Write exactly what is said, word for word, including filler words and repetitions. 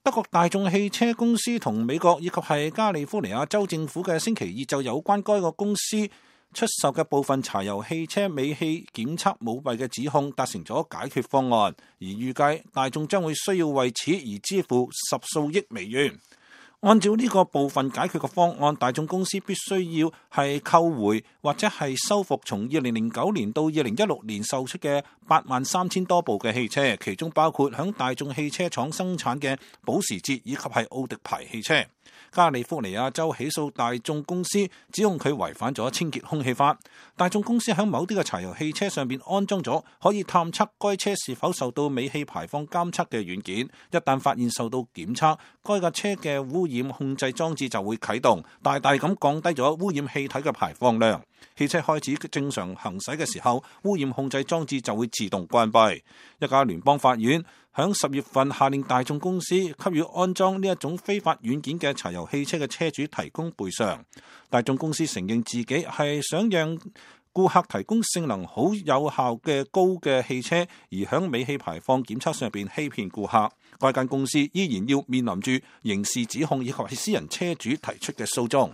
德國大眾汽車公司同美國以及係加利福尼亞州政府嘅星期二就有關該個公司出售嘅部分柴油汽車尾氣檢測舞弊嘅指控達成咗解決方案，而預計大眾將會需要為此而支付十數億美元。按照呢個部分解決嘅方案，大眾公司必須要係購回或者係修復從二零零九年到二零一六年售出嘅八萬三千多部嘅汽車，其中包括響大眾汽車廠生產嘅保時捷以及係奧迪牌汽車。加利福尼亞州起訴大眾公司，指控佢違反咗清潔空氣法。大眾公司喺某啲嘅柴油汽車上邊安裝咗可以探測該車是否受到尾氣排放監測嘅軟件，一旦發現受到檢測，該架車嘅污染控制裝置就會啟動，大大咁降低咗污染氣體嘅排放量。汽車開始正常行駛嘅時候，污染控制裝置就會自動關閉。一家聯邦法院響十月份下令大眾公司給予安裝呢一種非法軟件嘅柴油汽車嘅車主提供賠償。大眾公司承認自己係想讓顧客提供性能好有效嘅高嘅汽車，而響尾氣排放檢測上邊欺騙顧客。該間公司依然要面臨住刑事指控以及係私人車主提出嘅訴訟。